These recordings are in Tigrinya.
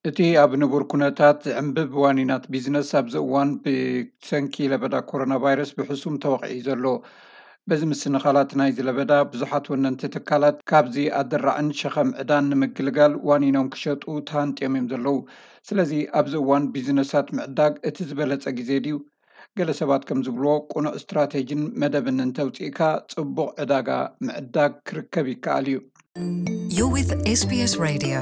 እቲ ኣብ ንቡር ኩነታት ዝዕንብብ ዋኒናት ቢዝነስ ኣብዚ እዋን ብሰንኪ ለበዳ ኮሮና ቫይረስ ብሕሱም ተወቒዑ ዘሎ። በዚ ምስንኻላት ናይዚ ለበዳ ብዙሓት ወነንቲ ትካላት ካብዚ ኣደራዕን ሸኸም ዕዳን ንምግልጋል ዋኒኖም ክሸጡ ተሃንጥዮም እዮም ዘለዉ። ስለዚ ኣብዚ እዋን ቢዝነሳት ምዕዳግ እቲ ዝበለጸ ግዜ ድዩ? ገለ ሰባት ከም ዝብልዎ ቁኑዕ ስትራቴጂን መደብን እንተውፂእካ ጽቡቕ ዕዳጋ ምዕዳግ ክርከብ ይከኣል እዩ። You're with S B S Radio.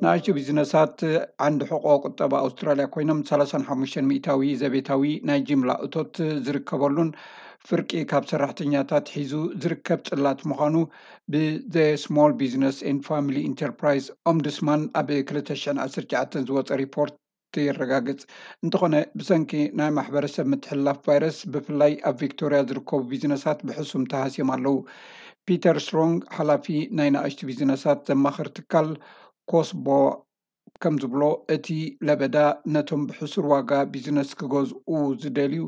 ንኣሽቱ ቢዝነሳት ዓንዲ ሕቆ ቁጠባ ኣውስትራልያ ኮይኖም ሰላሳን ሓሙሽተን ሚእታዊ ዘቤታዊ ናይ ጅምላ እቶት ዝርከበሉን ፍርቂ ካብ ሰራሕተኛታት ሒዙ ዝርከብ ጽላት ምዃኑ ብ The Small Business and Family Enterprise Ombudsman ኣብ ክልተ ሽሕን ዓሰርተ ትሽዓተን ዝወጸ ሪፖርት የረጋግጽ። እንተኾነ ብሰንኪ ናይ ማሕበረሰብ ምትሕልላፍ ቫይረስ ብፍላይ ኣብ ቪክቶርያ ዝርከቡ ቢዝነሳት ብሕሱም ተሃስዮም ኣለዉ። ፒተር ስትሮንግ ሓላፊ ናይ ንኣሽቱ ቢዝነሳት ዘማኽር ትካል ኮስቦ ከም ዝብሎ እቲ ለበዳ ነቶም ብሕሱር ዋጋ ቢዝነስ ክገዝኡ ዝደልዩ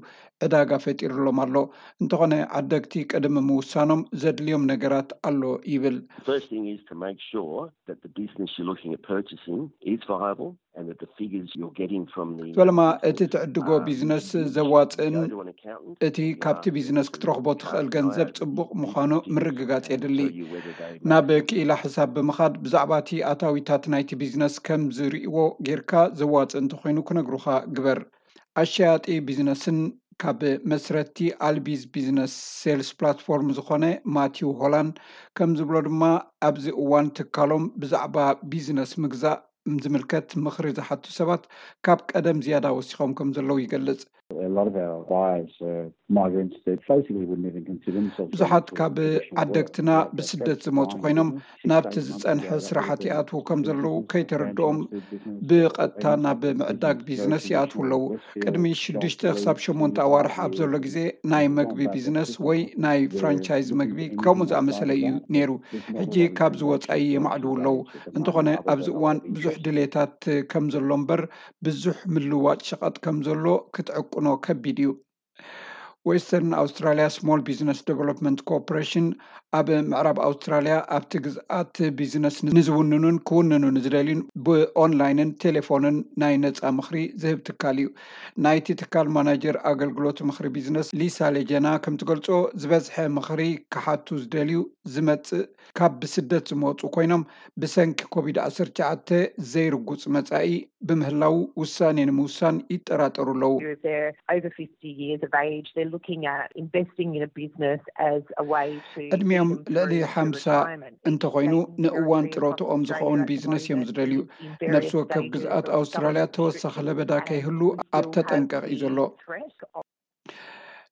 ዕዳጋ ፈጢሩሎም ኣሎ። እንተኾነ ዓደግቲ ቅድሚ ምውሳኖም ዘድልዮም ነገራት ኣሎ ይብል። First thing is to make sure that the business you're looking at purchasing is viable and that the figures you're getting from the ፈለማ እቲ ትዕድጎ ቢዝነስ ዘዋፅእን እቲ ካብቲ ቢዝነስ ክትረኽቦ ትኽእል ገንዘብ ፅቡቕ ምዃኑ ምርግጋፅ የድሊ። ናብ ክኢላ ሕሳብ ብምኻድ ብዛዕባ እቲ ኣታዊታት ናይቲ ቢዝነስ ከም ዝርእይዎ ጌርካ ዘዋፅእ እንተኾይኑ ክነግሩኻ ግበር። ኣሸያጢ ቢዝነስን ካብ መስረቲ ኣልቢዝ ቢዝነስ ሴልስ ፕላትፎርም ዝኾነ ማቲው ሆላንድ ከም ዝብሎ ድማ ኣብዚ እዋን ትካሎም ብዛዕባ ቢዝነስ ምግዛእ ዝምልከት ምኽሪ ዝሓቱ ሰባት ካብ ቀደም ዝያዳ ወሲኾም ከም ዘለዉ ይገልጽ። A lot of our buyers are migrants that basically wouldn't even consider themselves going ብዙሓት to a ካብ traditional work. ዓደግትና ብስደት ዝመፁ ኮይኖም ናብቲ ዝፀንሐ ስራሓት ይኣትዉ ከም ዘለዉ ከይተረድኦም ብቐጥታ ናብ ምዕዳግ ቢዝነስ ይኣትዉ ኣለዉ። ቅድሚ ሽዱሽተ ክሳብ ሸሞንተ ኣዋርሕ ኣብ ዘሎ ግዜ ናይ መግቢ ቢዝነስ ወይ ናይ ፍራንቻይዝ መግቢ ከምኡ ዝኣመሰለ እዩ ነይሩ። ሕጂ ካብዚ ወፃኢ የማዕድዉ ኣለዉ። እንተኾነ ኣብዚ እዋን ብዙሕ ድሌታት ከም ዘሎ እምበር ብዙሕ ምልዋጥ ሸቐጥ ከም ዘሎ ክትዕቅኖ ከቢድ እዩ። ዌስተርን ኣውስትራሊያ ስሞል ቢዝነስ ዴቨሎፕመንት ኮርፖሬሽን ኣብ ምዕራብ ኣውስትራሊያ ኣብቲ ግዝኣት ቢዝነስ ንዝውንኑን ክውንኑ ንዝደልዩን ብኦንላይንን ቴሌፎንን ናይ ነፃ ምኽሪ ዝህብ ትካል እዩ። ናይቲ ትካል ማናጀር ኣገልግሎት ምኽሪ ቢዝነስ ሊሳ ሌጀና ከም ትገልጾ ዝበዝሐ ምኽሪ ክሓቱ ዝደልዩ ዝመጽእ ካብ ብስደት ዝመጹ ኮይኖም ብሰንኪ ኮቪድ ዓሰርተ ትሽዓተ ዘይርጉጽ መጻኢ ብምህላው ውሳኔ ንምውሳን ይጠራጠሩ ኣለዉ። If they're over fifty years of age, they're looking at investing in a business as a way to ዕድሚኦም ልዕሊ ሓምሳ እንተኾይኑ ንእዋን ጥሮትኦም ዝኸውን ቢዝነስ እዮም ዝደልዩ። ነፍሲ ወከፍ ግዝኣት ኣውስትራልያ ተወሳኺ ለበዳ ከይህሉ ኣብ ተጠንቀቕ እዩ ዘሎ።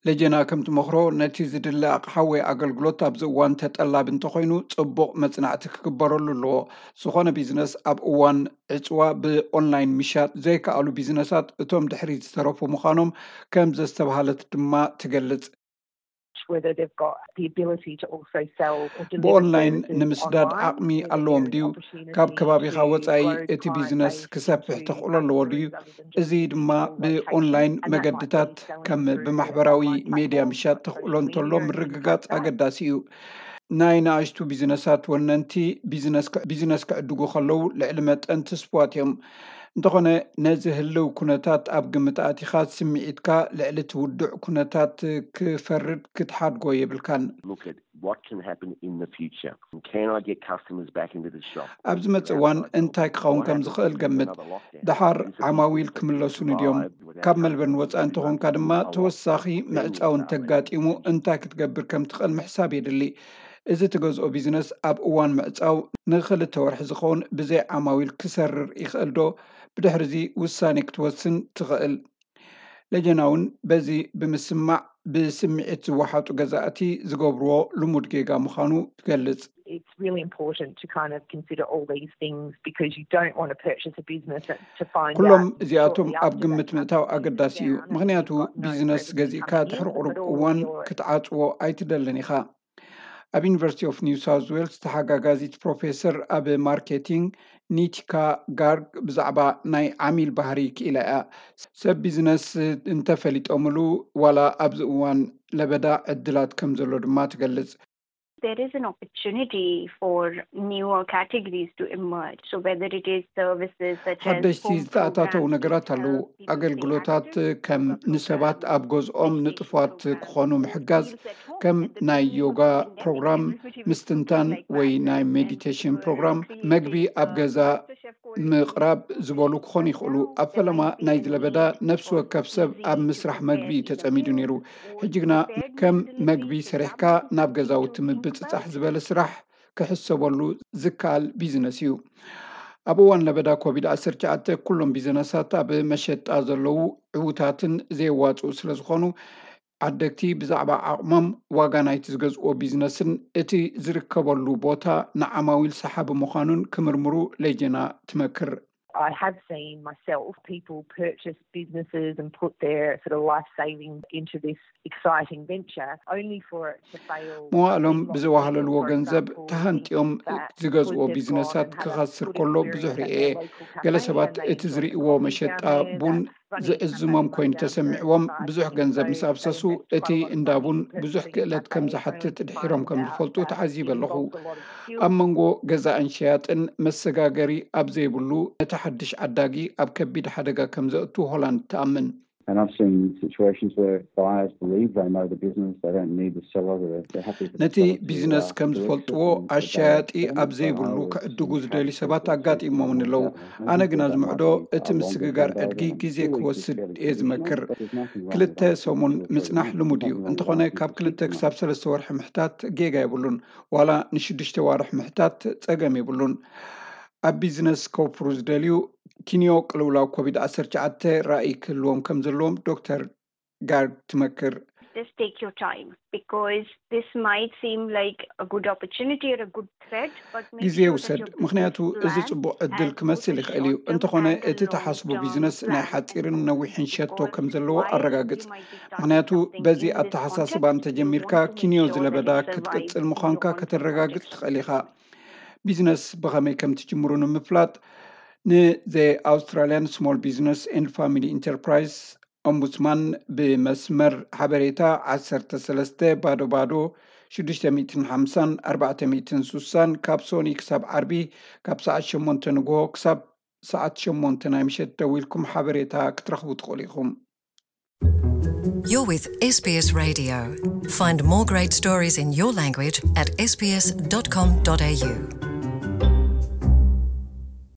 ለጀና ከም ትመኽሮ ነቲ ዝድለ ኣቕሓ ወይ ኣገልግሎት ኣብዚ እዋን ተጠላቢ እንተኾይኑ ጽቡቕ መጽናዕቲ ክግበረሉ ኣለዎ። ዝኾነ ቢዝነስ ኣብ እዋን ዕጽዋ ብኦንላይን ምሻጥ ዘይከኣሉ ቢዝነሳት እቶም ድሕሪት ዝተረፉ ምዃኖም ከም ዘስተብሃለት ድማ ትገልጽ። whether they've got the ability to also sell or deliver ብኦንላይን services ንምስዳድ online, ዓቕሚ whether ኣለዎም there is ድዩ? opportunity ካብ ከባቢኻ to ወጻኢ grow እቲ ቢዝነስ client ክሰፍሕ base ተኽእሎ into ኣለዎ other ድዩ? areas other than just እዚ ድማ your location, ብኦንላይን and that might be መገድታት selling ከም through ብማሕበራዊ online ሜድያ platforms ምሻጥ like ተኽእሎ social እንተሎ media and things ምርግጋጽ like that. ኣገዳሲ እዩ። ናይ ንኣሽቱ ቢዝነሳት ወነንቲ ቢዝነስ ክ- ቢዝነስ ክዕድጉ ከለዉ ልዕሊ መጠን ትስፉዋት እዮም። እንተኾነ ነዚ ህልው ኩነታት ኣብ ግምት ኣቲኻ ስምዒትካ ልዕሊ እቲ ውዱዕ ኩነታት ክፈርድ ክትሓድጎ የብልካን። Look at what can happen in the future. Can I get customers back into the shop? ኣብ ዝመጽእ እዋን እንታይ ክኸውን ከም ዝኽእል ገምት። ደሓር ዓማዊል ክምለሱኒ ድዮም? ካብ መልበርን ወጻኢ እንተኾንካ ድማ ተወሳኺ ምዕጻው እንተጋጢሙ እንታይ ክትገብር ከም ትኽእል ምሕሳብ የድሊ። እዚ ትገዝኦ ቢዝነስ ኣብ እዋን ምዕጻው ንኽልተ ወርሒ ዝኸውን ብዘይ ዓማዊል ክሰርር ይኽእል ዶ? ብድሕሪ እዚ ውሳኔ ክትወስን ትኽእል። ለጀና እውን በዚ ብምስማዕ ብስምዒት ዝወሓጡ ገዛእቲ ዝገብርዎ ልሙድ ጌጋ ምዃኑ ትገልጽ። It's really important to kind of consider all these things because you don't want to purchase a business to find ኩሎም out እዚኣቶም shortly ኣብ after ግምት that ምእታው company ኣገዳሲ shuts እዩ። down and ምኽንያቱ you've got no ቢዝነስ revenue ገዚእካ coming ድሕሪ in, ቁሩብ but all እዋን your ክትዓጽዎ ኣይትደልን ኢኻ። ኣብ ዩኒቨርሲቲ ኦፍ ኒው ሳውዝ ዌልስ ተሓጋጋዚት ፕሮፌሰር ኣብ ማርኬቲንግ ኒቲካ ጋርግ ብዛዕባ ናይ ዓሚል ባህሪ ክኢላ እያ። ሰብ ቢዝነስ እንተፈሊጦምሉ ዋላ ኣብዚ እዋን ለበዳ ዕድላት ከም ዘሎ ድማ ትገልጽ። there is an opportunity for newer categories to emerge. So whether it is services such as ሓደሽቲ ዝተኣታተው ነገራት ኣለዉ። ኣገልግሎታት ከም ንሰባት ኣብ ገዝኦም ንጥፋት ክኾኑ ምሕጋዝ፣ ከም ናይ ዮጋ ፕሮግራም፣ ምስትንታን ወይ ናይ ሜዲቴሽን ፕሮግራም፣ መግቢ ኣብ ገዛ ምቕራብ ዝበሉ ክኾኑ ይኽእሉ። ኣብ ፈለማ ናይ ዝለበዳ ነፍሲ ወከፍ ሰብ ኣብ ምስራሕ መግቢ እዩ ተጸሚዱ ነይሩ። ሕጂ ግና ከም መግቢ ሰሪሕካ ናብ ገዛውቲ ምብጽጻሕ ዝበለ ስራሕ ክሕሰበሉ ዝከኣል ቢዝነስ እዩ። ኣብ እዋን ለበዳ ኮቪድ ዓሰርተ ትሽዓተ ኩሎም ቢዝነሳት ኣብ መሸጣ ዘለዉ ዕዉታትን ዘየዋፅኡ ስለ ዝኾኑ ዓደግቲ ብዛዕባ ዓቕሞም ዋጋ ናይቲ ዝገዝእዎ ቢዝነስን እቲ ዝርከበሉ ቦታ ንዓማዊል ሰሓቢ ምዃኑን ክምርምሩ ሌጀና ትመክር። I have seen myself people purchase businesses and put their sort of life savings into this exciting venture only for it to fail. መዋእሎም ብዝዋሃለልዎ ገንዘብ ተሃንጢኦም ዝገዝእዎ ቢዝነሳት ክኸስር ከሎ ብዙሕ ርእየ። ገለ ሰባት እቲ ዝርእይዎ መሸጣ ቡን ዝዕዝሞም ኮይኑ ተሰሚዕዎም ብዙሕ ገንዘብ ምስ ኣፍሰሱ እቲ እንዳ ቡን ብዙሕ ክእለት ከም ዝሓትት ድሒሮም ከም ዝፈልጡ ተዓዚበ ኣለኹ። ኣብ መንጎ ገዛእን ሸያጥን መሰጋገሪ ኣብ ዘይብሉ ነቲ ሓድሽ ዓዳጊ ኣብ ከቢድ ሓደጋ ከም ዘእቱ ሆላንድ ትኣምን። And I've seen situations where buyers believe they know the business, they don't need the seller, they're happy. ነቲ ቢዝነስ ከም ዝፈልጥዎ ኣሻያጢ ኣብ ዘይብሉ ክዕድጉ ዝደልዩ ሰባት ኣጋጢሞምን ኣለዉ። ኣነ ግና ዝምዕዶ እቲ ምስግጋር ዕድጊ ግዜ ክወስድ እየ ዝመክር። ክልተ ሰሙን ምጽናሕ ልሙድ እዩ። እንተኾነ ካብ ክልተ ክሳብ ሰለስተ ወርሒ ምሕታት ጌጋ የብሉን። ዋላ ንሽዱሽተ ዋርሕ ምሕታት ጸገም የብሉን። ኣብ ቢዝነስ ከውፍሩ ዝደልዩ ኪንዮ ቅልውላው ኮቪድ ዓሰርተ ትሽዓተ ራእይ ክህልዎም ከም ዘለዎም ዶክተር ጋርግ ትመክር። Just take your time, because this might seem like a good opportunity or a good threat, but make ግዜ sure that ውሰድ፣ your ምክንያቱ business እዚ plan ጽቡቕ ዕድል has ክመስል both a ይኽእል እዩ። short-term እንተኾነ and a እቲ ተሓስቡ long-term ቢዝነስ ናይ plan. ሓጺርን ነዊሕን ሸቶ ከም ዘለዎ ኣረጋግጽ። ምክንያቱ በዚ ኣተሓሳስባ እንተጀሚርካ ኪንዮ ዝለበዳ ክትቅጽል ምዃንካ ከተረጋግጽ ትኽእል ኢኻ። ቢዝነስ ብኸመይ ከም ትጅምሩ ንምፍላጥ ንዘይ ኣውስትራሊያን ስሞል ቢዝነስ ኤንድ ፋሚሊ ኢንተርፕራይዝ ኦምቡድስማን ብመስመር ሓበሬታ ዓሰርተ ሰለስተ ባዶ ባዶ ሽዱሽተ ሚእትን ሓምሳን ኣርባዕተ ሚእትን ስሳን ካብ ሶኒ ክሳብ ዓርቢ ካብ ሰዓት ሸሞንተ ንግሆ ክሳብ ሰዓት ሸሞንተ ናይ ምሸት ደዊልኩም ሓበሬታ ክትረኽቡ ትኽእሉ ኢኹም። You're with S B S Radio. Find more great stories in your language at S B S dot com dot A U.